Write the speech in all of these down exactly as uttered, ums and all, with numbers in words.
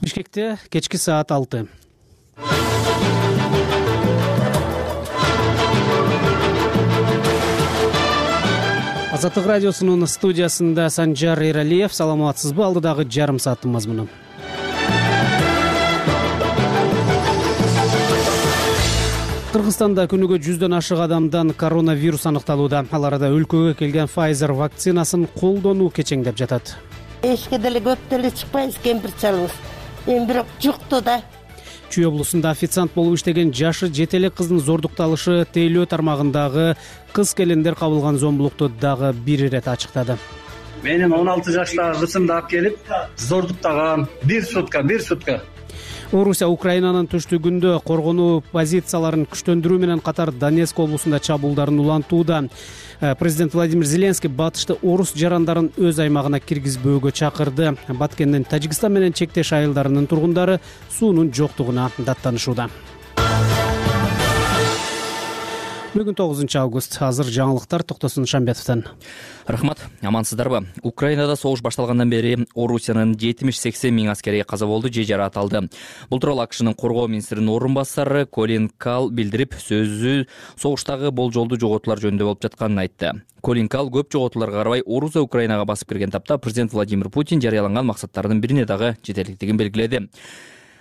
Бишкекте кечки саат алты. Азаттык радиосунун студиясында Санжар Эралиев. Саламатсызбы? Алдыдагы жарым сааттын мазмуну. Кыргызстанда күнүгө жүздөн ашык адамдан коронавирус аныкталууда. Ал арада өлкөгө келген Pfizer вакцинасын колдонуу кечеңдеп жатат. Эшикке деле көп деле чыкпайбыз, кемпир чалыбыз. Эми бирок жукту да. Чүй облусунда официант болуп иштеген жашы жете элек кыздын зордукталышы тейлөө тармагындагы кыз келиндер кабылган зомбулукту дагы бир ирет ачыктады. Менин он алты жаштагы кызымды алып келип зордуктаган бир сутка, бир сутка. Орусия Украинанын түштүгүндө коргонуу позицияларын күчтөндүрүү менен катар Донецк облусунда чабуулдарын улантууда. Президент Владимир Зеленский батышты орус жарандарын өз аймагына киргизбөөгө чакырды. Баткендин Тажикстан менен чектеш айылдарынын тургундары суунун жоктугуна даттанышууда. Бүгүн тогузунчу август. Азыр жаңылыктар Токтосун Шамбетовдон. Рахмат, амансыздарбы? Украинада согуш башталгандан бери Орусиянын жетимиш сексен миң аскери каза болду же жаратылды. Бул тууралуу АКШнын коргоо министринин орун басары Колин Кал билдирип, сөзү согуштагы болжолдуу жоготуулар жөнүндө болуп жатканын айтты. Колин Кал көп жоготууларга карабай Орусия Украинага басып кирген тапта президент Владимир Путин жарыяланган максаттардын бирине дагы жетерликтигин белгиледи.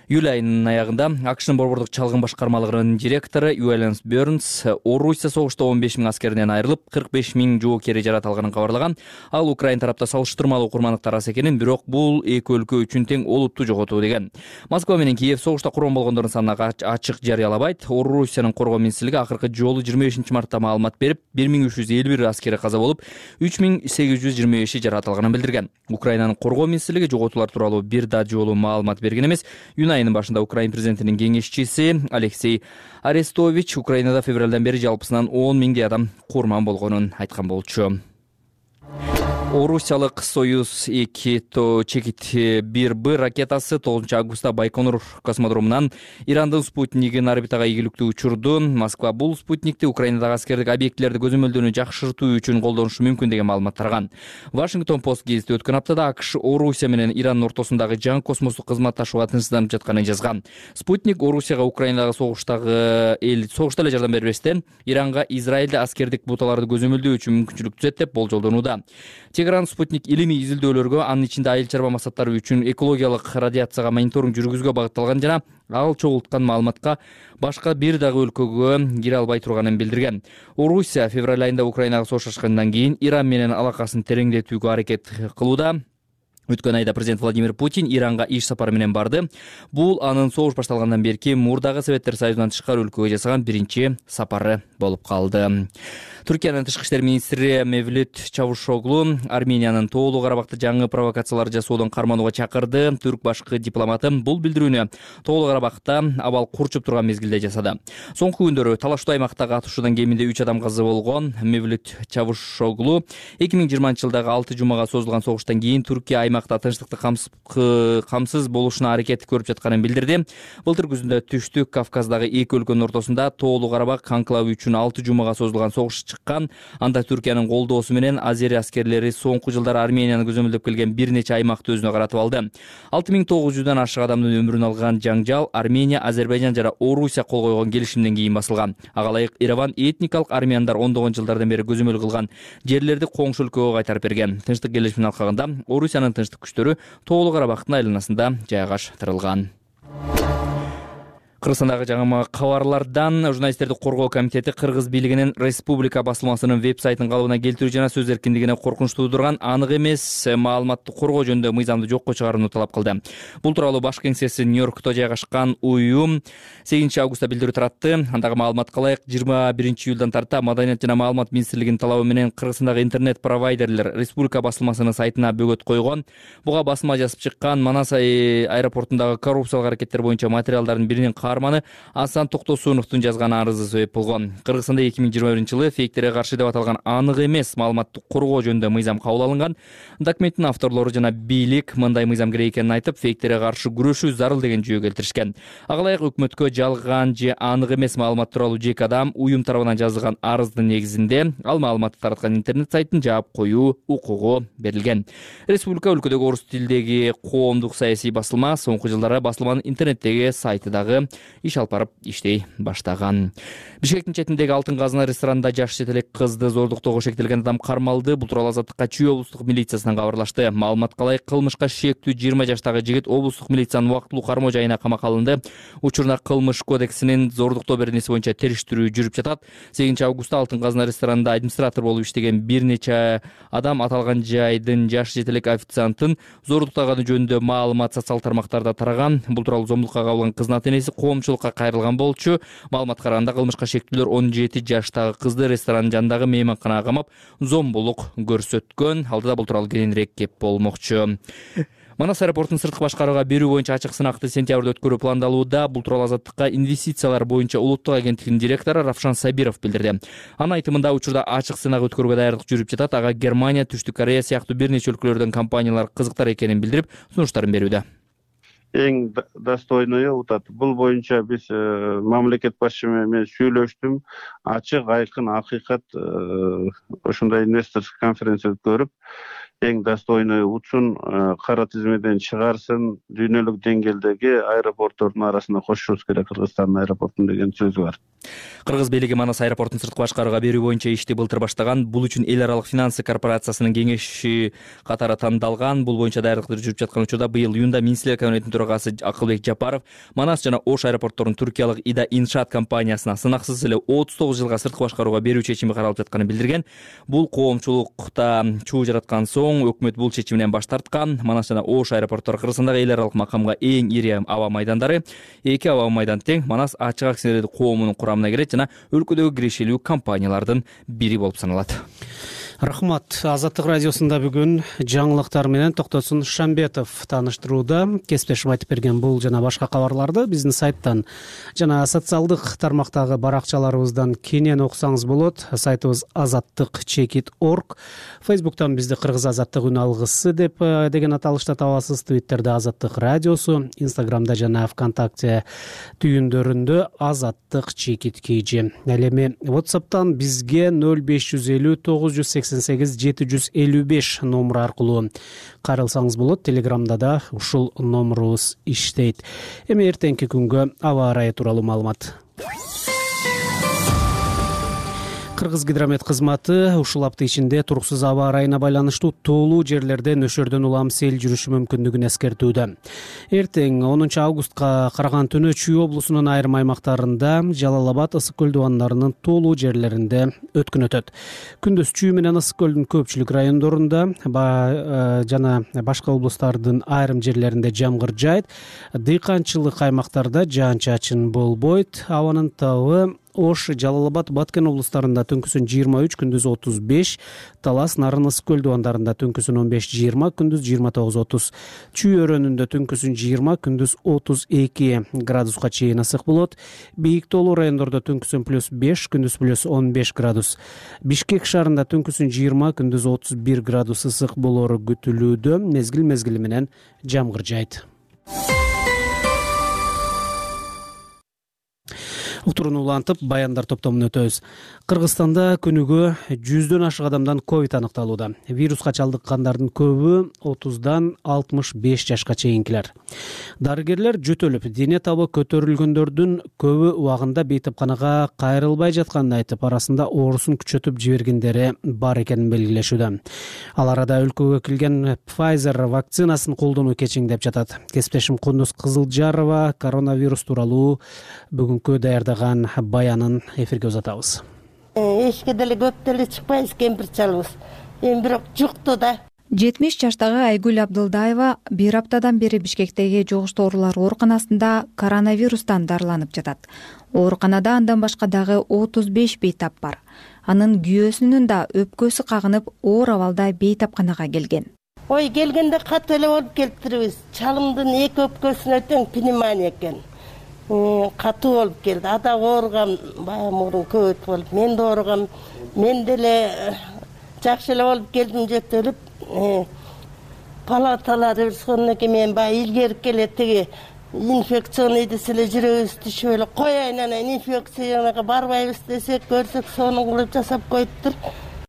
Июль айынын аягында АКШнын борбордук чалгын башкармалыгынын директору Юэлен Бернс Орусия согушта он беш миң аскеринен айрылып, кырк беш миң жоокери жаратылганын кабарлаган. Ал Украин тарапта салыштырмалуу курмандыктар аз экенин, бирок бул эки өлкө үчүн тең олуттуу жоготуу деген. Москва менен Киев согушта курман болгондордун санына ачык жарыялабайт. Орусиянын коргоо министрлиги акыркы жолу жыйырма бешинчи мартта маалымат берип, бир миң үч жүз элүү бир аскери каза болуп, үч миң сегиз жүз жыйырма беши жаратылганын билдирген. Украинанын коргоо министрлиги жоготуулар тууралуу бир да жолу маалымат берген эмес. Айынын башында Украин президентинин кеңешчиси Алексей Арестович Украинада февралдан бери жалпысынан он миңдей адам курман болгонун айткан болчу. Орусиялык Союз эки чекит бир Б ракетасы тогузунчу августта Байконур космодромунан Ирандын спутнигин орбитага ийгиликтүү учурду. Москва бул спутникти Украинадагы аскердик объектилерди көзөмөлдөөнү жакшыртуу үчүн колдонушу мүмкүн деген маалымат тараган. Вашингтон Пост гезити өткөн аптада АКШ Орусия менен Ирандын ортосундагы жаңы космостук кызматташууга тынчсызданып жатканын жазган. Спутник Орусияга Украинадагы согуштагы эл согушта эле жардам бербестен Иранга Израилде аскердик буталарды көзөмөлдөө үчүн мүмкүнчүлүк түзөт деп болжолдонууда. Тегеран спутник илимий изилдөөлөргө, анын ичинде айыл чарба максаттары үчүн экологиялык радиацияга мониторинг жүргүзүүгө багытталган жана ал чогулткан маалыматка башка бир дагы өлкөгө кире албай турганын билдирген. Орусия февраль айында Украинага согуш ачкандан кийин Иран менен алакасын тереңдетүүгө аракет кылууда. Өткөн айда президент Владимир Путин Иранга иш сапары менен барды. Бул анын согуш башталгандан берки мурдагы Советтер Союзунан тышкары өлкөгө жасаган биринчи сапары болуп калды. Түркиянын тышкы иштер министри Мевлют Чавушоглу Армениянын Тоолуу Карабакта жаңы провокациялар жасоодон карманууга чакырды. Түрк башкы дипломаты бул билдирүүнү Тоолуу Карабакта абал курчуп турган мезгилде жасады. Соңку күндөрү талаштуу аймактагы атышуудан кеминде үч адам каза болгон. Мевлют Чавушоглу эки миң жыйырманчы жылдагы алты жумага созулган согуштан кийин Түркия аймакта тынчтыкты камсыз болушуна аракет көрүп жатканын билдирди. Былтыр күзүндө Түштүк Кавказдагы эки өлкөнүн ортосунда Тоолуу Карабак анклавы үчүн алты жумага созулган согуш чыккан. Анда Түркиянын колдоосу менен Азери аскерлери соңку жылдары Арменияны көзөмөлдөп келген бир нече аймакты өзүнө каратып алды. алты миң тогуз жүздөн ашык адамдын өмүрүн алган жаңжал Армения, Азербайжан жана Орусия кол койгон келишимден кийин басылган. Ага ылайык Ереван этникалык армяндар ондогон жылдардан бери көзөмөл кылган жерлерди коңшу өлкөгө кайтарып берген. Тынчтык келишимин алкагында Орусиянын тынчтык күчтөрү Тоолуу Карабактын айланасында жайгаштырылган. Кыргызстандагы жаңы кабарлардан журналисттерди коргоо комитети Кыргыз бийлигинин республика басылмасынын веб-сайтын калыбына келтирүү жана сөз эркиндигине коркунуч туудурган анык эмес маалыматты коргоо жөнүндө мыйзамды жокко чыгарууну талап кылды. Бул тууралуу баш кеңсеси Нью-Йоркто жайгашкан уюм сегизинчи августта билдирүү таратты. Андагы маалыматка ылайык жыйырма биринчи июлдан тарта Маданият жана маалымат министрлигинин талабы менен Кыргызстандагы интернет провайдерлер республика басылмасынын сайтына бөгөт койгон. Буга басма жазып чыккан Манас аэропортундагы коррупциялык аракеттер боюнча материалдардын биринин каарманы Асан Токтосуновдун жазган арызы себеп болгон. Кыргызстанда эки миң жыйырма биринчи жылы фейктерге каршы деп аталган анык эмес маалыматты коргоо жөнүндө мыйзам кабыл алынган. Документтин авторлору жана бийлик мындай мыйзам керек экенин айтып, фейктерге каршы күрөшүү зарыл деген жүйө келтиришкен. Ага ылайык өкмөткө жалган же анык эмес маалымат тууралуу жеке адам уюм тарабынан жазылган арыздын негизинде ал маалыматты тараткан интернет сайттын жаап коюу укугу берилген. Республика өлкөдөгү орус тилдеги коомдук саясий басылма соңку жылдары басылманын интернеттеги сайты дагы иш алып барып иштей баштаган. Бишкектин четиндеги Алтын казына ресторанында жаш жетелек кызды зордуктоого шектелген адам кармалды. Бул тууралуу Азаттыкка Чүй облустук милициясынан кабарлашты. Маалыматка ылайык кылмышка шектүү жыйырма жаштагы жигит облустук милициянын убактылуу кармоо жайына камакка алынды. Учурда кылмыш кодексинин зордуктоо беренеси боюнча териштирүү жүрүп жатат. сегизинчи августта Алтын казына ресторанында администратор болуп иштеген бир нече адам аталган жайдын жаш жетелек официанттын зордуктаганы жөнүндө маалымат социалдык тармактарда тараган. Бул тууралуу зомбулукка кабылган кыздын ата-энеси коомчулукка кайрылган болчу. Маалыматка караганда кылмышка шектүүлөр он жети жаштагы кызды ресторандын жанындагы мейманканага камап зомбулук көрсөткөн. Алдыда бул тууралуу кененирээк кеп болмокчу. Манас аэропортун сырткы башкарууга берүү боюнча ачык сынакты сентябрда өткөрүү пландалууда. Бул тууралуу Азаттыкка инвестициялар боюнча улуттук агенттигинин директору Равшан Сабиров билдирди. Анын айтымында учурда ачык сынак өткөрүүгө даярдык жүрүп жатат. Ага Германия, Түштүк Корея сыяктуу бир нече өлкөлөрдөн компаниялар кызыктар экенин билдирип, сунуштарын берүүдө. Эң достойною утат. Бул боюнча биз мамлекет башчы менен сүйлөштүм. Ачык, айкын, акыйкат ошондой инвесторская конференция өткөрүп, эң достойный утсун, кара тизмеден чыгарсын, дүйнөлүк деңгээлдеги аэропорттордун арасына кошушубуз керек Кыргызстандын аэропортун деген сөз бар. Кыргыз бийлиги Манас аэропортун сырткы башкарууга берүү боюнча ишти былтыр баштаган. Бул үчүн эл аралык финансы корпорациясынын кеңешчи катары тандалган. Бул боюнча даярдыктар жүрүп жаткан учурда быйыл июнда Министрлер кабинетинин төрагасы Акылбек Жапаров Манас жана Ош аэропортторун туркиялык Ида Иншаат компаниясына сынаксыз эле отуз тогуз жылга сырткы башкарууга берүү чечими каралып жатканын билдирген. Бул коомчулукта чуу жараткан соң өкмөт бул чечиминен баш тарткан. Манас жана Ош аэропорттору Кыргызстандагы эл аралык макамга эң ири аба майдандары. Эки аба майдан тең Манас ачык акционерлик коомунун курамына кирет жана өлкөдөгү кирешелүү компаниялардын бири болуп саналат. Рахмат. Азаттык радиосунда бүгүн жаңылыктар менен Токтосун Шамбетов тааныштырууда. Кесиптешим айтып берген бул жана башка кабарларды биздин сайттан жана социалдык тармактагы баракчаларыбыздан кенен окусаңыз болот. Сайтыбыз азаттык чекит точка орг. Фейсбуктан бизди Кыргыз азаттык үн алгысы деп деген аталышта табасыз. Твиттерде Азаттык радиосу, Инстаграмда жана ВКонтакте түйүндөрүндө Азаттык чекит kg. Ал эми WhatsApp'тан бизге нөл беш жүз элүү тогуз жүз сексен сегиз жети жүз элүү беш номеру аркылуу кайрылсаңыз болот. Телеграмда да ушул номерубуз иштейт. Эми эртеңки күнгө аба ырайы тууралуу маалымат. Кыргыз гидромет кызматы ушул апта ичинде туруксуз аба ырайына байланыштуу тоолуу жерлерде нөшөрдөн улам сел жүрүшү мүмкүндүгүн эскертүүдө. Эртең онунчу августка караган түнү Чүй облусунун айрым аймактарында, Жалал Абад ысык көл дубандарынын тоолуу жерлеринде өткүн өтөт. Күндүз Чүй менен ысык көлдүн көпчүлүк райондорунда жана башка облустардын айрым жерлеринде жамгыр жаайт. Дыйканчылык аймактарда жаан-чачын болбойт. Абанын табы Ош, Жалал Абад, Баткен облустарында түнкүсүн жыйырма үч, күндүз отуз беш, Талас, Нарын, ысык көл дубандарында түнкүсүн он беш жыйырма, күндүз жыйырма тогуз отуз. Чүй өрөөнүндө түнкүсүн жыйырма, күндүз отуз эки градуска чейин ысык болот. Бийик тоолуу райондордо түнкүсүн плюс беш, күндүз плюс он беш градус. Бишкек шаарында түнкүсүн жыйырма, күндүз отуз бир градус ысык болору күтүлүүдө. Мезгил мезгили менен жамгыр жаайт. Утуруну улантып, баяндар топтомун өтөбүз. Кыргызстанда күнүгө жүздөн ашык адамдан ковид аныкталууда. Вируска чалдыккандардын көбү отуздан алтымыш беш жашка чейинкилер. Дарыгерлер жөтөлүп, дене табы көтөрүлгөндөрдүн көбү убагында бейтапканага кайрылбай жатканын айтып, арасында оорусун күчөтүп жибергендери бар экенин белгилешүүдө. Ал арада өлкөгө кирген Pfizer вакцинасын колдонуу кечиңдеп жатат. Кесиптешим Кундуз Кызылжарова коронавирус тууралуу бүгүнкү даярдаган баянын эфирге узатабыз. Эшикке деле көп деле чыкпайбыз, кемпир чалыбыз. Эми бирок жукту да. жетимиш жаштагы Айгүл Абдылдаева бир аптадан бери Бишкектеги жугуштуу оорулар ооруканасында коронавирустан дарыланып жатат. Ооруканада андан башка дагы отуз беш бейтап бар. Анын күйөөсүнүн да өпкөсү кагынып, оор абалда бейтапканага келген. Ой, келгенде катуу эле болуп келиптирбиз. Чалымдын эки өпкөсүнө тең пневмония экен. катуу болуп келди. Ада ооругам, баягы мурун көбөйт болуп, мен да ооругам. Мен деле жакшы эле болуп келдим, жөтөлүп. Палаталары бирскондон кийин мен баягы илгерип келет тиги инфекционный десе эле жүрөгүбүз түшүп эле коеюн, анан инфекцияга барбайбыз десек, көрсөк сонун кылып жасап коюптур.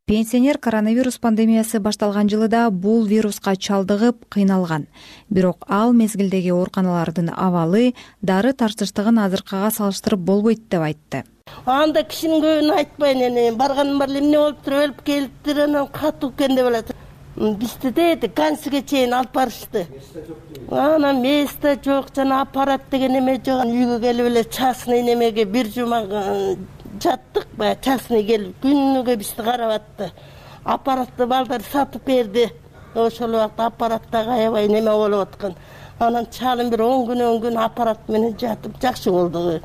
Пенсионер коронавирус пандемиясы башталган жылыда бул вируска чалдыгып кыйналган. Бирок ал мезгилдеги ооруканалардын абалы дары тартыштыгын азыркыга салыштырып болбойт деп айтты. Анда кишинин көбүнө айтпайын, эне барганым бар эле эмне болуптур, өлүп келиптир, анан катуу экен деп алат. Бизде деди Гансиге чейин алып барышты. Анан месте жок, жана аппарат деген эме жок. Үйгө келип эле частный немеге бир жума жаттык, баягы частный келип күнүгө бизди карап атты. Аппаратты балдар сатып берди. Ошол убакта аппаратта аябай неме болуп аткан. Анан чалым бир он күн он күн аппарат менен жатып жакшы болду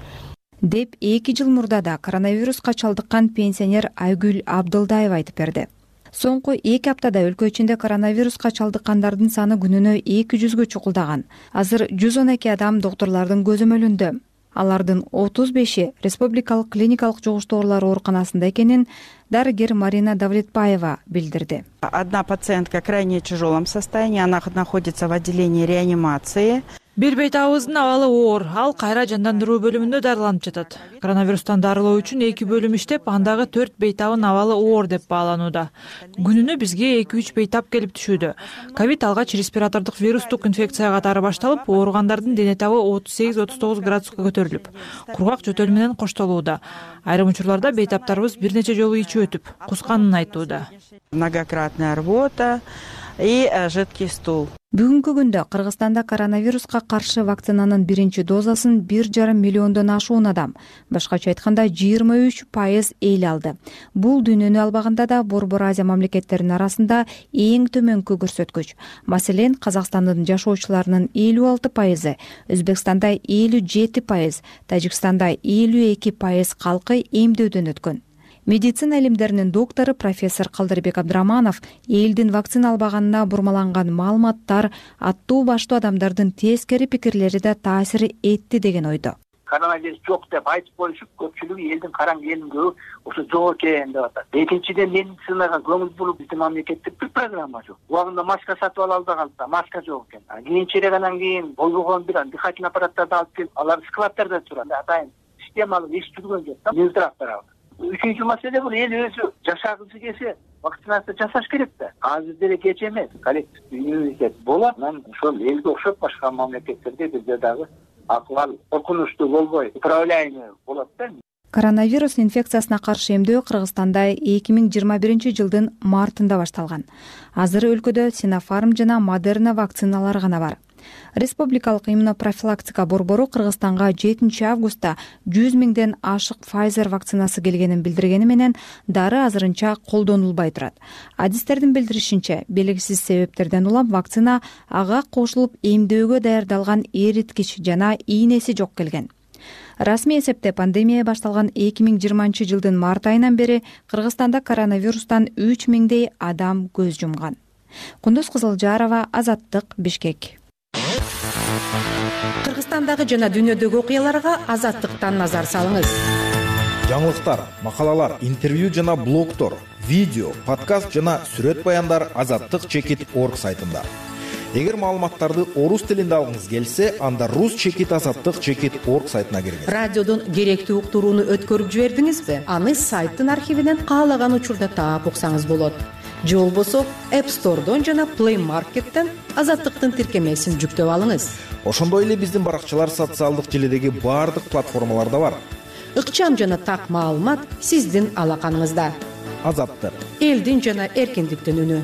деп эки жыл мурда да коронавируска чалдыккан пенсионер Айгүл Абдылдаева айтып берди. Соңку эки аптада өлкө ичинде коронавируска чалдыккандардын саны күнүнө эки жүзгө чукулдаган. Азыр жүз он эки адам доктурлардын көзөмөлүндө. Алардын отуз беши республикалык клиникалык жугуштуу оорулар ооруканасында экенин дарыгер Марина Давлетбаева билдирди. Одна пациентка в крайне тяжелом состоянии, она находится в отделении реанимации. Бир бейтабыбыздын абалы оор, ал кайра жандандыруу бөлүмүндө дарыланып жатат. Коронавирустан дарылоо үчүн эки бөлүм иштеп, андагы төрт бейтабын абалы оор деп бааланууда. Күнүнө бизге эки үч бейтап келип түшүүдө. Ковид алгач респиратордук вирустук инфекция катары башталып, ооругандардын дене табы отуз сегиз отуз тогуз градуска көтөрүлүп, кургак жөтөл менен коштолууда. Айрым учурларда бейтаптарыбыз бир нече жолу ичип өтүп, кусканын айтууда. Многократная рвота и жидкий стул. Бүгүнкү күндө Кыргызстанда коронавируска каршы вакцинанын биринчи дозасын бир жарым миллиондон ашуун адам, башкача айтканда жыйырма үч пайыз эл алды. Бул дүйнөнү албаганда да Борбор Азия мамлекеттеринин арасында эң төмөнкү көрсөткүч. Маселен, Казакстандын жашоочуларынын элүү алты пайызы, Өзбекстанда элүү жети пайыз, Тажикстанда элүү эки пайыз калкы эмдөөдөн өткөн. Медицина илимдеринин доктору профессор Калдырбек Абдыраманов элдин вакцина албаганына бурмаланган маалыматтар аттуу баштуу адамдардын тескери пикирлери да таасир этти деген ойдо. Коронавирус жок деп айтып коюшуп, көпчүлүгү элдин караң элин көбү ошо жок экен деп атат. Экинчиден, медицинага көңүл буруп биздин мамлекетте бир программа жок. Убагында маска сатып ала албаганбыз, маска жок экен. Кийинчерээк анан кийин болбогон бир дыхательный аппараттарды алып келип, алар складтарда турат. Атайын системалык иш жүргөн жок да. Нездирап барабыз. Үчүнчү маселе бул эл өзү жашагысы келсе вакцинация жасаш керек да. Азыр деле кеч эмес. Коллективдүү иммунитет болот. Анан ошол элге окшоп башка мамлекеттерде бизде дагы акыбал коркунучтуу болбой, управляемый болот да. Коронавирус инфекциясына каршы эмдөө Кыргызстанда эки миң жыйырма биринчи жылдын мартында башталган. Азыр өлкөдө Sinopharm жана Moderna вакциналары гана бар. Республикалык иммунопрофилактика борбору Кыргызстанга жетинчи августта жүз миңден ашык Pfizer вакцинасы келгенин билдиргени менен дары азырынча колдонулбай турат. Адистердин билдиришинче, белгисиз себептерден улам вакцина ага кошулуп эмдөөгө даярдалган эриткич жана ийнеси жок келген. Расмий эсепте пандемия башталган эки миң жыйырманчы жылдын март айынан бери Кыргызстанда коронавирустан үч миңдей адам көз жумган. Кундуз Кызылжарова, Азаттык, Бишкек. Кыргызстандагы жана дүйнөдөгү окуяларга Азаттыктан назар салыңыз. Жаңылыктар, макалалар, интервью жана блогтор, видео, подкаст жана сүрөт баяндар азаттык чекит точка орг сайтында. Эгер маалыматтарды орус тилинде алгыңыз келсе, анда рус чекит азаттык чекит точка орг сайтына киргиз. Радиодон керектүү уктурууну өткөрүп жибердиңизби? Аны сайттын архивинен каалаган учурда таап уксаңыз болот. Же болбосо App Store'дон жана Play Market'тен Азаттыктын тиркемесин жүктөп алыңыз. Ошондой эле биздин баракчалар социалдык желидеги баардык платформаларда бар. Ыкчам жана так маалымат сиздин алаканыңызда. Азаттык. Элдин жана эркиндиктин үнү.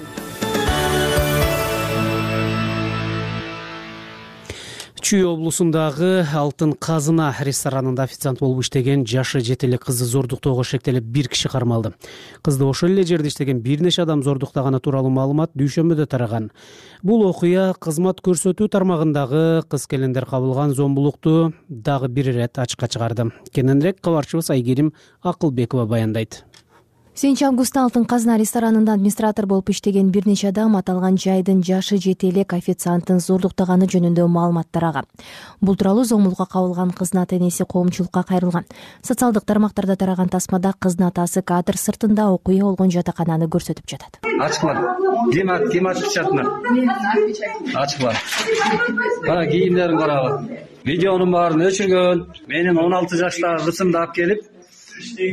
Чүй облусундагы Алтын Казына ресторанында официант болуп иштеген жашы жетелик кызды зордуктоого шектелип бир киши кармалды. Кызды ошол эле жерде иштеген бир нече адам зордуктаганы тууралуу маалымат дүйшөмбөдө тараган. Бул окуя кызмат көрсөтүү тармагындагы кыз-келиндер кабылган зомбулукту дагы бир ирет ачыкка чыгарды. Кененирээк кабарчыбыз Айгерим Акылбекова баяндайт. бешинчи августта Алтын казына ресторанында администратор болуп иштеген бир нече адам аталган жайдын жашы жете элек официанттын зордуктаганы жөнүндө маалыматтар алган. Бул тууралуу зомбулукка кабылган кыздын ата-энеси коомчулукка кайрылган. Социалдык тармактарда тараган тасмада кыздын атасы кадр сыртында окуя болгон жатакананы көрсөтүп жатат. Ачкыла. Ким ким ачкычатына? Ачкыла. Кара кийимдерин карагы. Видеонун баарын өчүргөн. Менин он алты жаштагы кызымды алып келип,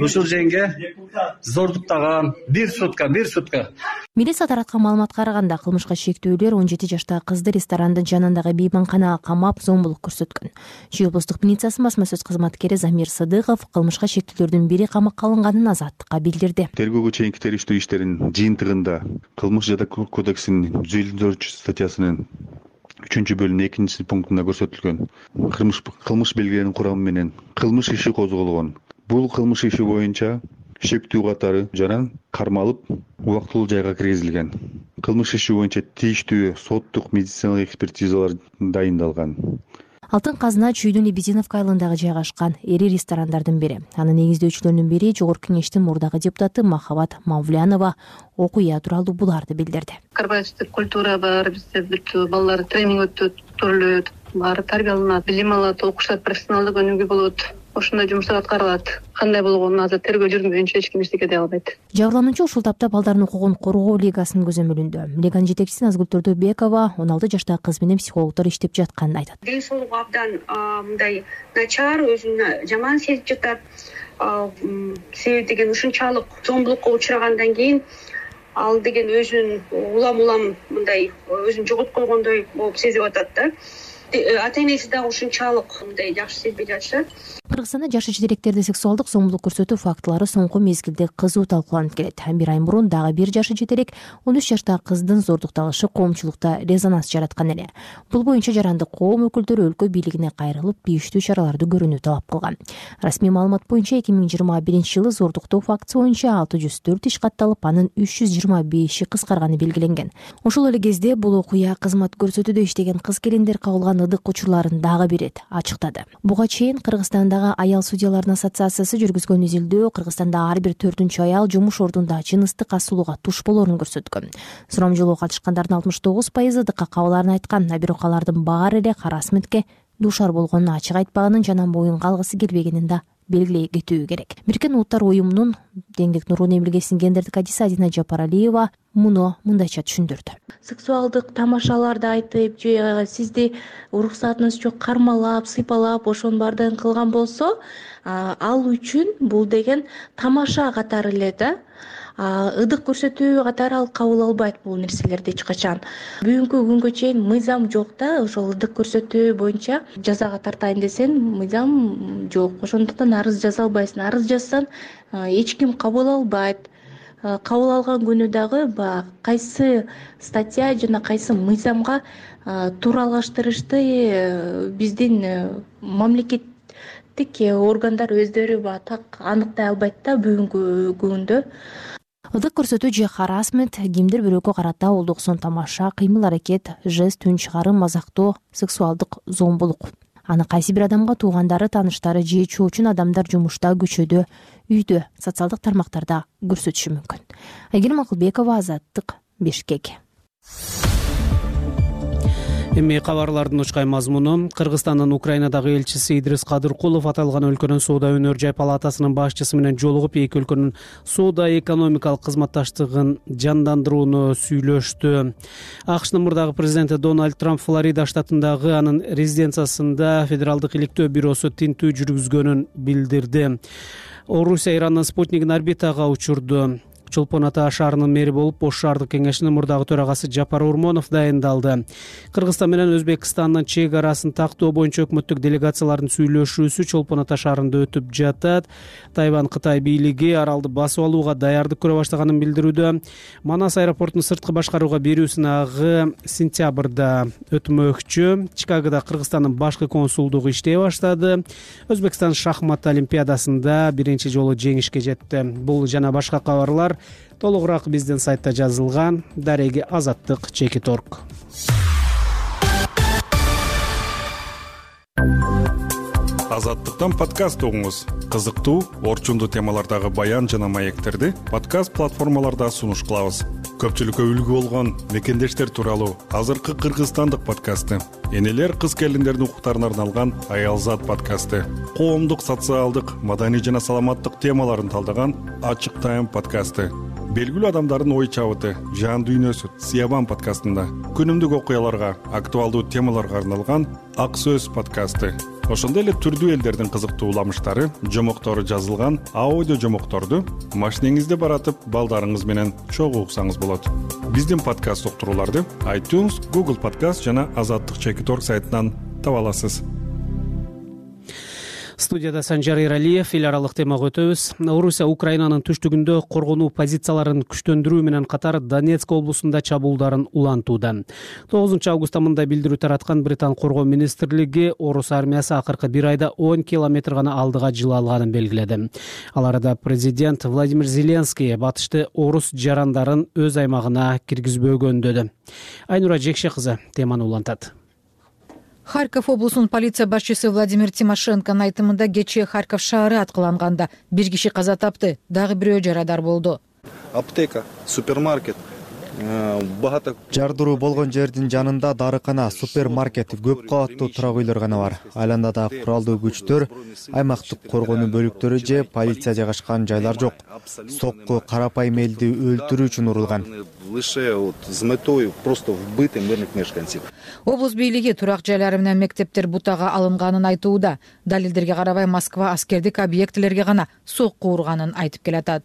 ушул женге зордуктаган бир сутка, бир сутка. Милиция тараткан маалыматка караганда кылмышка шектүүлөр он жети жаштагы кызды ресторандын жанындагы мейманканага камап зомбулук көрсөткөн. Чүй облустук милициясынын басма сөз кызматкери Замир Сыдыков кылмышка шектүүлөрдүн бири камакка алынганын азаттыкка билдирди. Тергөөгө чейинки териштирүү иштеринин жыйынтыгында Кылмыш жада кодексинин жүз элүү төртүнчү статьясынын үчүнчү бөлүмүнүн экинчи пунктунда көрсөтүлгөн кылмыш кылмыш белгиленин курамы менен кылмыш иши козголгон. Бул кылмыш иши боюнча шектүү катары жана кармалып убактылуу жайга киргизилген. Кылмыш иши боюнча тийиштүү соттук медициналык экспертизалар дайындалган. Алтын казына Чүйдүн Лебединовка айылындагы жайгашкан эри ресторандардын бири. Анын негиздөөчүлөрүнүн бири Жогорку Кеңештин мурдагы депутаты Махабат Мавлянова окуя тууралуу буларды билдирди. Корпоративдик культура бар, бизде бүт балдар тренинг өтөт, көрүлөт, баары тарбияланат, билим алат, окушат, профессионалдык өнүгүү болот. Ошондой жумуштар аткарылат. Кандай болгонун азыр тергөө жүргүзүлгөнчө эч ким эчтеке дей албайт. Жабырлануучу ушул тапта балдардын укугун коргоо лигасынын көзөмөлүндө. Лиганын жетекчиси Назгүл Төрдөбекова он алты жаштагы кыз менен психологдор иштеп жатканын айтат. Ден соолугу абдан мындай начар, өзүн жаман сезип жатат. Себеби деген ушунчалык зомбулукка учрагандан кийин ал деген өзүн улам-улам мындай өзүн жоготуп койгондой болуп сезип атат да. Ата-энеси дагы ушунчалык мындай жакшы сезбей жатышат. Кыргызстанда жашы жетелектерди сексуалдык зомбулук көрсөтүү фактылары соңку мезгилде кызуу талкууланып келет. Бир ай мурун дагы бир жашы жетелек он үч жаштагы кыздын зордукталышы коомчулукта резонанс жараткан эле. Бул боюнча жарандык коом өкүлдөрү өлкө бийлигине кайрылып, тийиштүү чараларды көрүүнү талап кылган. Расмий маалымат боюнча эки миң жыйырма биринчи жылы зордуктоо фактысы боюнча алты жүз төрт иш катталып, анын үч жүз жыйырма беши кыскарганы белгиленген. Ошол эле кезде бул окуя кызмат көрсөтүүдө иштеген кыз келиндер кабылган ыдык учурларын дагы бир ирет ачыктады. Буга чейин Кыргызстандагы аял судьялардын ассоциациясы жүргүзгөн изилдөө Кыргызстанда ар бир төртүнчү аял жумуш ордунда жыныстык асуулууга туш болоорун көрсөткөн. Сурамжылоого катышкандардын алтымыш тогуз пайызы ыдыкка кабылаарын айткан, а бирок алардын баары эле харасментке дуушар болгонун ачык айтпаганын жана моюн калгысы келбегенин да белгилей кетүү керек. Бириккен Улуттар уюмунун теңдик нурунун эмилгесинин гендердик адиси Адина Жапаралиева муну мындайча түшүндүрдү. Сексуалдык тамашаларды айтып, же сизди уруксатыңыз жок кармалап, сыйпалап, ошонун баардыгын кылган болсо, ал үчүн бул деген тамаша катары эле да. Ыдык көрсөтүү катары ал кабыл албайт бул нерселерди эч качан. Бүгүнкү күнгө чейин мыйзам жок да, ошол ыдык көрсөтүү боюнча жазага тартайын десең, мыйзам жок. Ошондуктан арыз жаза албайсың. Арыз жазсаң, эч ким кабыл албайт. Кабыл алган күнү дагы баягы кайсы статья жана кайсы мыйзамга тууралаштырышты биздин мамлекеттик органдар өздөрү баягы так аныктай албайт да бүгүнкү күндө. Ыдык көрсөтүү же харасмент кимдир бирөөгө карата олдук сон тамаша, кыймыл аракет, жест, үн чыгарым, мазактоо, сексуалдык зомбулук. Аны кайсы бир адамга туугандары, тааныштары же чоочун адамдар жумушта, көчөдө, үйдө, социалдык тармактарда көрсөтүшү мүмкүн. Айгерим Акылбекова, Азаттык, Бишкек. Эми кабарлардын учкай мазмуну. Кыргызстандын Украинадагы элчиси Идрис Кадыркулов аталган өлкөнүн соода өнөр жай палатасынын башчысы менен жолугуп, эки өлкөнүн соода экономикалык кызматташтыгын жандандырууну сүйлөштү. АКШнын мурдагы президенти Дональд Трамп Флорида штатындагы анын резиденциясында федералдык иликтөө бюросу тинтүү жүргүзгөнүн билдирди. Орусия Ирандын спутнигин орбитага учурду. Чолпон Ата шаарынын мэри болуп, Ош шаардык кеңешинин мурдагы төрагасы Жапар Урмонов дайындалды. Кыргызстан менен Өзбекстандын чек арасын тактоо боюнча өкмөттүк делегациялардын сүйлөшүүсү Чолпон Ата шаарында өтүп жатат. Тайвань Кытай бийлиги аралды басып алууга даярдык көрө баштаганын билдирүүдө. Манас аэропортун сырткы башкарууга берүү сынагы сентябрда өтмөкчү. Чикагода Кыргызстандын башкы консулдугу иштей баштады. Өзбекстан шахмат олимпиадасында биринчи жолу жеңишке жетти. Бул жана башка кабарлар толугураак биздин сайтта жазылган. Дареги Азаттык чекит точка орг. Азаттыктан подкаст угуңуз. Кызыктуу, орчундуу темалардагы баян жана маектерди подкаст платформаларда сунуш кылабыз. Көпчүлүккө үлгү болгон мекендештер тууралуу азыркы кыргызстандык подкасты, энелер кыз келиндердин укуктарына арналган Аялзат подкасты, коомдук, социалдык, маданий жана саламаттык темаларын талдаган Ачык Тайм подкасты, белгилүү адамдардын ой чабыты, жан дүйнөсү Сиябан подкастында, күнүмдүк окуяларга, актуалдуу темаларга арналган Ак Сөз подкасты, ошондой эле түрдүү элдердин кызыктуу уламыштары, жомоктору жазылган аудио жомокторду машинеңизде баратып балдарыңыз менен чогуу уксаңыз болот. Биздин подкаст уктурууларды iTunes, Google Podcast жана азаттык чекит орг сайтынан таба аласыз. Студияда Санжар Иралиев. Эл аралык темага өтөбүз. Орусия Украинанын түштүгүндө коргонуу позицияларын күчтөндүрүү менен катар Донецк облусунда чабуулдарын улантууда. тогузунчу августта мындай билдирүү тараткан Британ коргоо министрлиги орус армиясы акыркы бир айда он километр гана алдыга жыла алганын белгиледи. Ал арада президент Владимир Зеленский батышты орус жарандарын өз аймагына киргизбөгөндөдү. Айнура Жекше кызы теманы улантат. Харьков облусунун полиция башчысы Владимир Тимошенконун айтымында кечээ Харьков шаары аткыланганда бир киши каза тапты, дагы бирөө жарадар болду. Аптека, супермаркет, багато жардыруу болгон жердин жанында дарыкана, супермаркет, көп кабаттуу турак үйлөр гана бар. Айланада куралдуу күчтөр, аймактык коргонуу бөлүктөрү же полиция жайгашкан жайлар жок. Сокку карапайым элди өлтүрүү үчүн урулган. Лише вот с метой просто вбыты мирных мешканцев. Облус бийлиги турак жайлары менен мектептер бутага алынганын айтууда. Далилдерге карабай Москва аскердик объектилерге гана сокку урганын айтып келатат.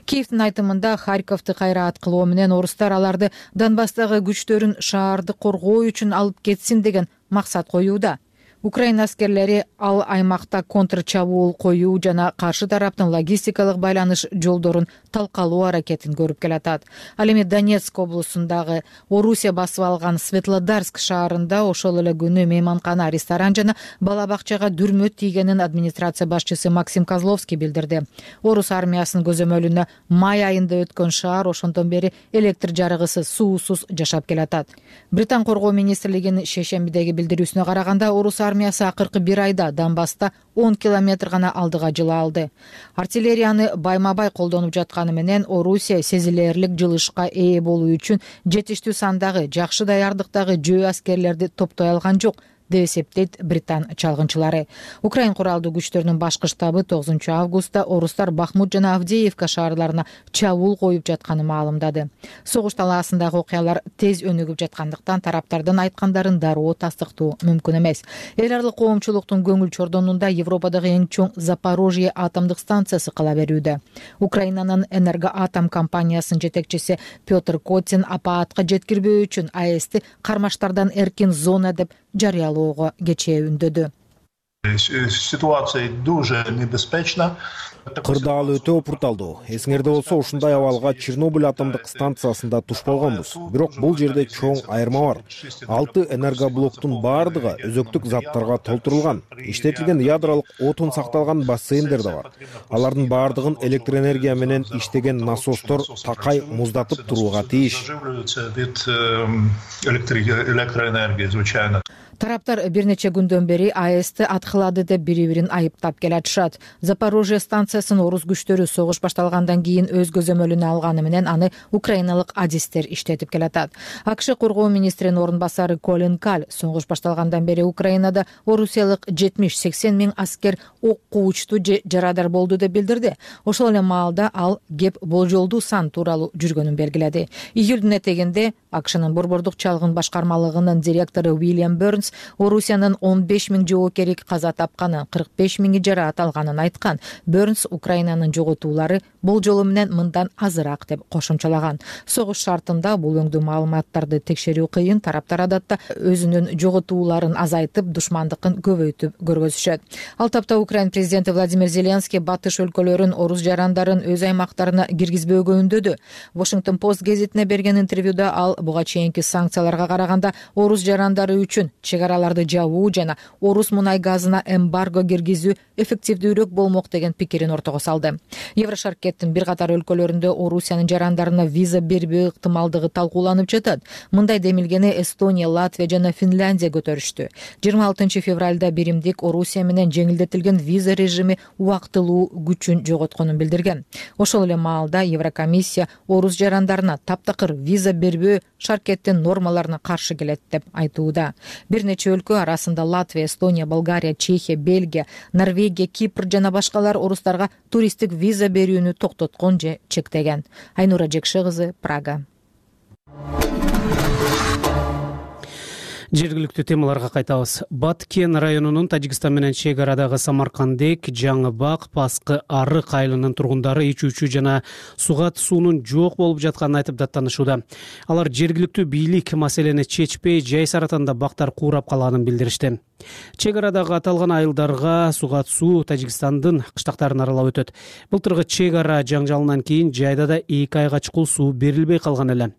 Киевдин айтымында Харьковду кайра аткылоо менен орустар аларды Донбасстагы күчтөрүн шаарды коргоо үчүн алып кетсин деген максат коюуда. Украина аскерлери ал аймакта контрчабуул коюу жана каршы тараптын логистикалык байланыш жолдорун талкалоо аракетин көрүп келатат. Ал эми Донецк облусундагы Орусия басып алган Светлодарск шаарында ошол эле күнү мейманкана, ресторан жана бала бакчага дүрмө тийгенин администрация башчысы Максим Козловский билдирди. Орус армиясынын көзөмөлүнө май айында өткөн шаар ошондон бери электр жарыгысыз, суусуз жашап келатат. Британ коргоо министрлигинин шейшембидеги билдирүүсүнө караганда орус армиясы акыркы бир айда Донбасста он километр гана алдыга жыла алды. Артиллерияны байма-бай колдонуп жатканы менен Орусия сезилерлик жылышка ээ болуу үчүн жетиштүү сандагы, жакшы даярдыктагы жөө аскерлерди топтой алган жок деп эсептейт Британ чалгынчылары. Украин куралдуу күчтөрүнүн башкы штабы тогузунчу августта орустар Бахмут жана Авдеевка шаарларына чабуул коюп жатканын маалымдады. Согуш талаасындагы окуялар тез өнүгүп жаткандыктан тараптардын айткандарын дароо тастыктоо мүмкүн эмес. Эл аралык коомчулуктун көңүл чордонунда Европадагы эң чоң Запорожье атомдук станциясы кала берүүдө. Украинанын Энергоатом компаниясынын жетекчиси Петр Котин апаатка жеткирбөө үчүн АЭСти кармаштардан эркин зона деп жарыялоого кечээ үндөдү. Ситуация дуже небезпечна. Кырдаал өтө опурталдуу. Эсиңерде болсо ушундай абалга Чернобыль атомдук станциясында туш болгонбуз. Бирок бул жерде чоң айырма бар. Алты энергоблоктун баардыгы өзөктүк заттарга толтурулган. Иштетилген ядролук отун сакталган бассейндер да бар. Алардын баардыгын электр энергия менен иштеген насостор такай муздатып турууга тийиш. Электроэнергия, звичайно. Тараптар бир нече күндөн бери АЭСти аткылады деп бири-бирин айыптап келатышат. Запорожье станциясын орус күчтөрү согуш башталгандан кийин өз көзөмөлүнө алганы менен аны украиналык адистер иштетип келатат. АКШ коргоо министринин орун басары Колин Каль согуш башталгандан бери Украинада орусиялык жетимиш сексен миң аскер ок куучту же жарадар болду деп билдирди. Ошол эле маалда ал кеп болжолдуу сан тууралуу жүргөнүн белгиледи. Июлдун этегинде АКШнын борбордук чалгын башкармалыгынын директору Уильям Бернс Орусиянын он беш миң жоокери каза тапканын, кырк беш миңи жараат алганын айткан. Бернс Украинанын жоготуулары болжолу менен мындан азыраак деп кошумчалаган. Согуш шартында бул өңдүү маалыматтарды текшерүү кыйын, тараптар адатта өзүнүн жоготууларын азайтып, душмандыкын көбөйтүп көргөзүшөт. Ал тапта Украин президенти Владимир Зеленский батыш өлкөлөрүн орус жарандарын өз аймактарына киргизбөөгө үндөдү. Washington Post гезитине берген интервьюда ал буга чейинки санкцияларга караганда орус жарандары үчүн чек араларды жабуу жана орус мунай газына эмбарго киргизүү эффективдүүрөөк болмок деген пикирин ортого салды. Еврошаркеттин бир катар өлкөлөрүндө Орусиянын жарандарына виза бербөө ыктымалдыгы талкууланып жатат. Мындай демилгени Эстония, Латвия жана Финляндия көтөрүштү. жыйырма алтынчы февралда биримдик Орусия менен жеңилдетилген виза режими убактылуу күчүн жоготконун билдирген. Ошол эле маалда Еврокомиссия орус жарандарына таптакыр виза бербөө шаркеттин нормаларына каршы келет деп айтууда. Бир нече өлкө арасында Латвия, Эстония, Болгария, Чехия, Бельгия, Норвегия, Кипр жана башкалар орустарга туристтик виза берүүнү токтоткон же чектеген. Айнура Жекше кызы, Прага. Жергиликтүү темаларга кайтабыз. Баткен районунун Тажикстан менен чек арадагы Самаркандек, Жаңы Бак, Паскы Арык айылынын тургундары ичүүчү жана сугат суунун жок болуп жатканын айтып даттанышууда. Алар жергиликтүү бийлик маселени чечпей, жай саратанда бактар куурап калганын билдиришти. Чек арадагы аталган айылдарга сугат суу Тажикстандын кыштактарын аралап өтөт. Былтыркы чек ара жаңжалынан кийин жайда да эки айга чукул суу берилбей калган эле.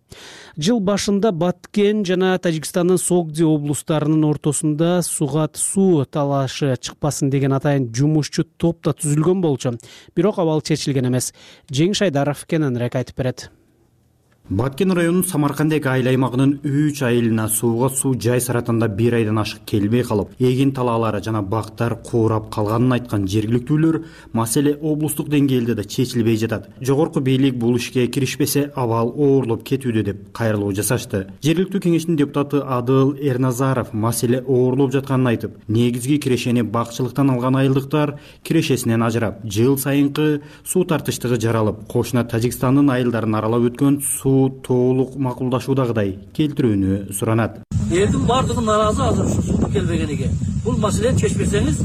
Жыл башында Баткен жана Тажикстандын Согди облустарынын ортосунда сугат суу талашы чыкпасын деген атайын жумушчу топ да түзүлгөн болчу. Бирок абал чечилген эмес. Жеңиш Айдаров кененирээк айтып берет. Баткен районунун Самаркандек айыл аймагынын үч айылына сууга суу жай саратанда бир айдан ашык келбей калып, эгин талаалары жана бактар куурап калганын айткан жергиликтүүлөр маселе облустук деңгээлде да чечилбей жатат. Жогорку бийлик бул ишке киришпесе абал оорлоп кетүүдө деп кайрылуу жасашты. Жергиликтүү кеңештин депутаты Адыл Эрназаров маселе оорлоп жатканын айтып, негизги кирешени бакчылыктан алган айылдыктар кирешесинен ажырап, жыл сайынкы суу тартыштыгы жаралып, кошуна Тажикстандын айылдарын аралап өткөн суу толук макулдашуудагыдай келтирүүнү суранат. Элдин бардыгы нааразы азыр ушу суу келбегениге. Бул маселени чечпесеңиз,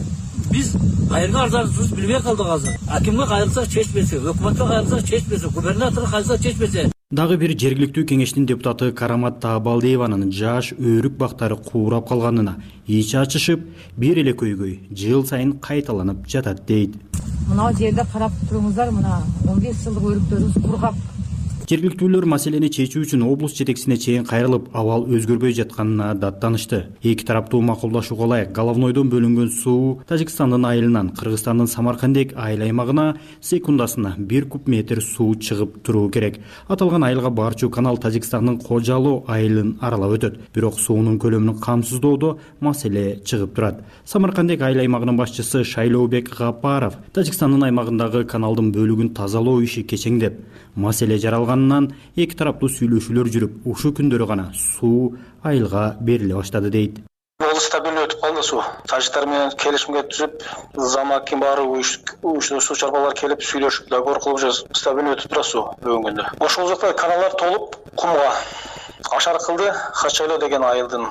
биз кайерге арзаныбызды билбей калдык азыр. Акимге кайрылсак чечпесе, өкмөткө кайрылсак чечпесе, губернаторго кайрылсак чечпесе. Дагы бир жергиликтүү кеңештин депутаты Карамат Таабалдиеванын жаш өрүк бактары куурап калганына ичи ачышып, бир эле көйгөй жыл сайын кайталанып жатат дейт. Мына жерде карап туруңуздар, мына он беш жылдык өрүктөрүбүз кургап. Жергиликтүүлөр маселени чечүү үчүн облус жетекчисине чейин кайрылып, абал өзгөрбөй жатканына даттанышты. Эки тараптуу макулдашууга ылайык Головнойдон бөлүнгөн суу Тажикстандын айылынан Кыргызстандын Самаркандек айыл аймагына секундасына бир куб метр суу чыгып туруу керек. Аталган айылга барчу канал Тажикстандын Кожалоо айылын аралап өтөт. Бирок суунун көлөмүн камсыздоодо маселе чыгып турат. Самаркандек айыл аймагынын башчысы Шайлообек Гапаров Тажикстандын аймагындагы каналдын бөлүгүн тазалоо иши кечеңдеп, маселе жаралганынан эки тараптуу сүйлөшүүлөр жүрүп, ушул күндөрү гана суу айылга бериле баштады дейт. Ол стабилдүү өтүп калды суу. Тажиктар менен келишимге түзүп, замакин баары уюштуу суу чарбалар келип сүйлөшүп, договор кылып жүр. Стабилдүү өтүп турат суу бүгүнгүндө. Ошол жакта каналдар толуп, кумга ашар кылды. Хачайлоо деген айылдын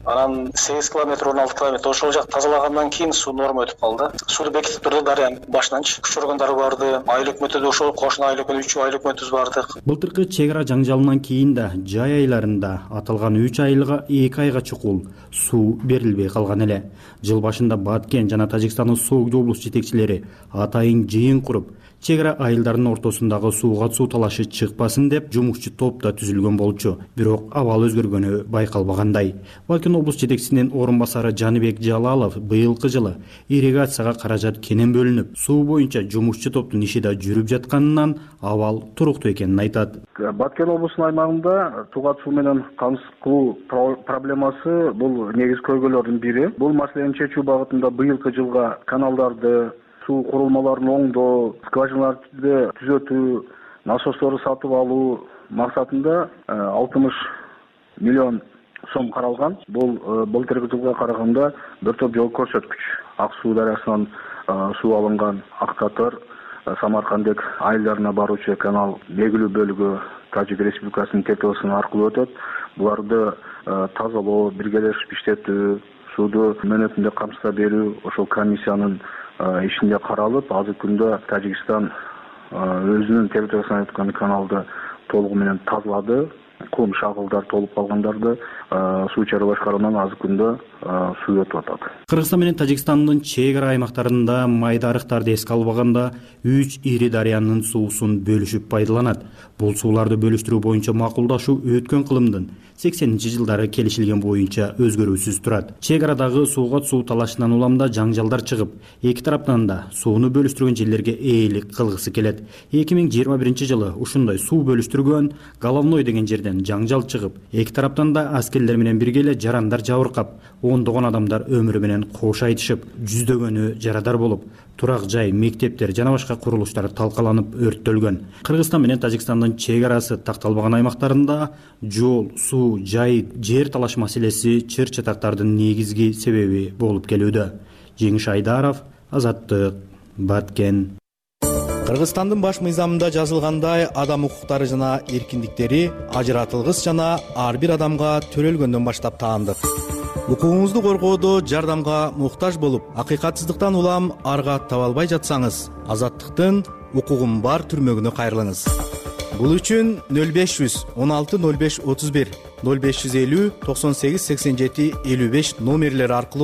анан сегиз километр, он алты километр ошол жак тазалагандан кийин суу норма өтүп калды. Сууну бекитип турду дарыянын башынан. Күчөргөндөр барды. Айыл өкмөтү ошол кошуна айыл өкмөтү үч айыл өкмөтүбүз барды. Былтыркы чек ара жаңжалынан кийин да жай айларында аталган үч айылга эки айга чукул суу берилбей калган эле. Жыл башында Баткен жана Тажикстандын Согди облус жетекчилери атайын жыйын куруп, чек ара айылдарынын ортосундагы сууга суу талашы чыкпасын деп жумушчу топ да түзүлгөн болчу. Бирок абал өзгөргөнү байкалбагандай. Баткен облус жетекчисинин орун басары Жаныбек Жалалов быйылкы жылы ирригацияга каражат кенен бөлүнүп, суу боюнча жумушчу топтун иши да жүрүп жатканынан абал туруктуу экенин айтат. Баткен облусунун аймагында сугат суу менен камсыз кылуу проблемасы бул негизги көйгөйлөрдүн бири. Бул маселени чечүү багытында быйылкы жылга каналдарды, суу курулмаларын оңдоо, скважиналарды түзөтүү, насосторду сатып алуу максатында алтымыш миллион сом каралган. Бул былтыркы жылга караганда бир топ жол көрсөткүч. Ак суу дарыясынан суу алынган Ак Татар, Самаркандек айылдарына баруучу канал белгилүү бөлүгү Тажик Республикасынын территориясы аркылуу өтөт. Буларды тазалоо, биргелешип иштетүү, сууду мөөнөтүндө камсызда берүү ошол комиссиянын ишинде каралып, азыркы күндө Тажикстан өзүнүн территориясынан өткөн каналды толугу менен тазалады. кум шагылдар толуп калгандарды суу чароо башкаруунан азыркы күндө суу өтүп атат. Кыргызстан менен Тажикстандын чек ара аймактарында майда арыктарды эске албаганда үч ири дарыянын суусун бөлүшүп пайдаланат. Бул сууларды бөлүштүрүү боюнча макулдашуу өткөн кылымдын сексенинчи жылдары келишилген боюнча өзгөрүүсүз турат. Чек арадагы сууга суу талашынан уламда жаңжалдар чыгып, эки тараптан да сууну бөлүштүргөн жерлерге ээлик кылгысы келет. эки миң жыйырма биринчи жылы ушундай суу бөлүштүргөн Головной деген жерден жаңжал чыгып, эки тараптан да аскерлер менен бирге эле жарандар жабыркап, ондогон адамдар өмүрү менен кош айтышып, жүздөгөнү жарадар болуп, турак жай, мектептер жана башка курулуштар талкаланып өрттөлгөн. Кыргызстан менен Тажикстандын чек арасы такталбаган аймактарында жол, суу, жай, жер талаш маселеси чыр чатактардын негизги себеби болуп келүүдө. Жеңиш Айдаров, Азаттык, Баткен. Кыргызстандын баш мыйзамында жазылгандай, адам укуктары жана эркиндиктери ажыратылгыс жана ар бир адамга төрөлгөндөн баштап таандык. Укугуңузду коргоодо жардамга муктаж болуп, акыйкатсыздыктан улам арга таба албай жатсаңыз, Азаттыктын укугум бар түрмөгүнө кайрылыңыз. Бул үчүн нөл беш жүз он алты нөл беш отуз бир, нөл беш жүз элүү токсон сегиз сексен жети элүү беш номерлери аркылуу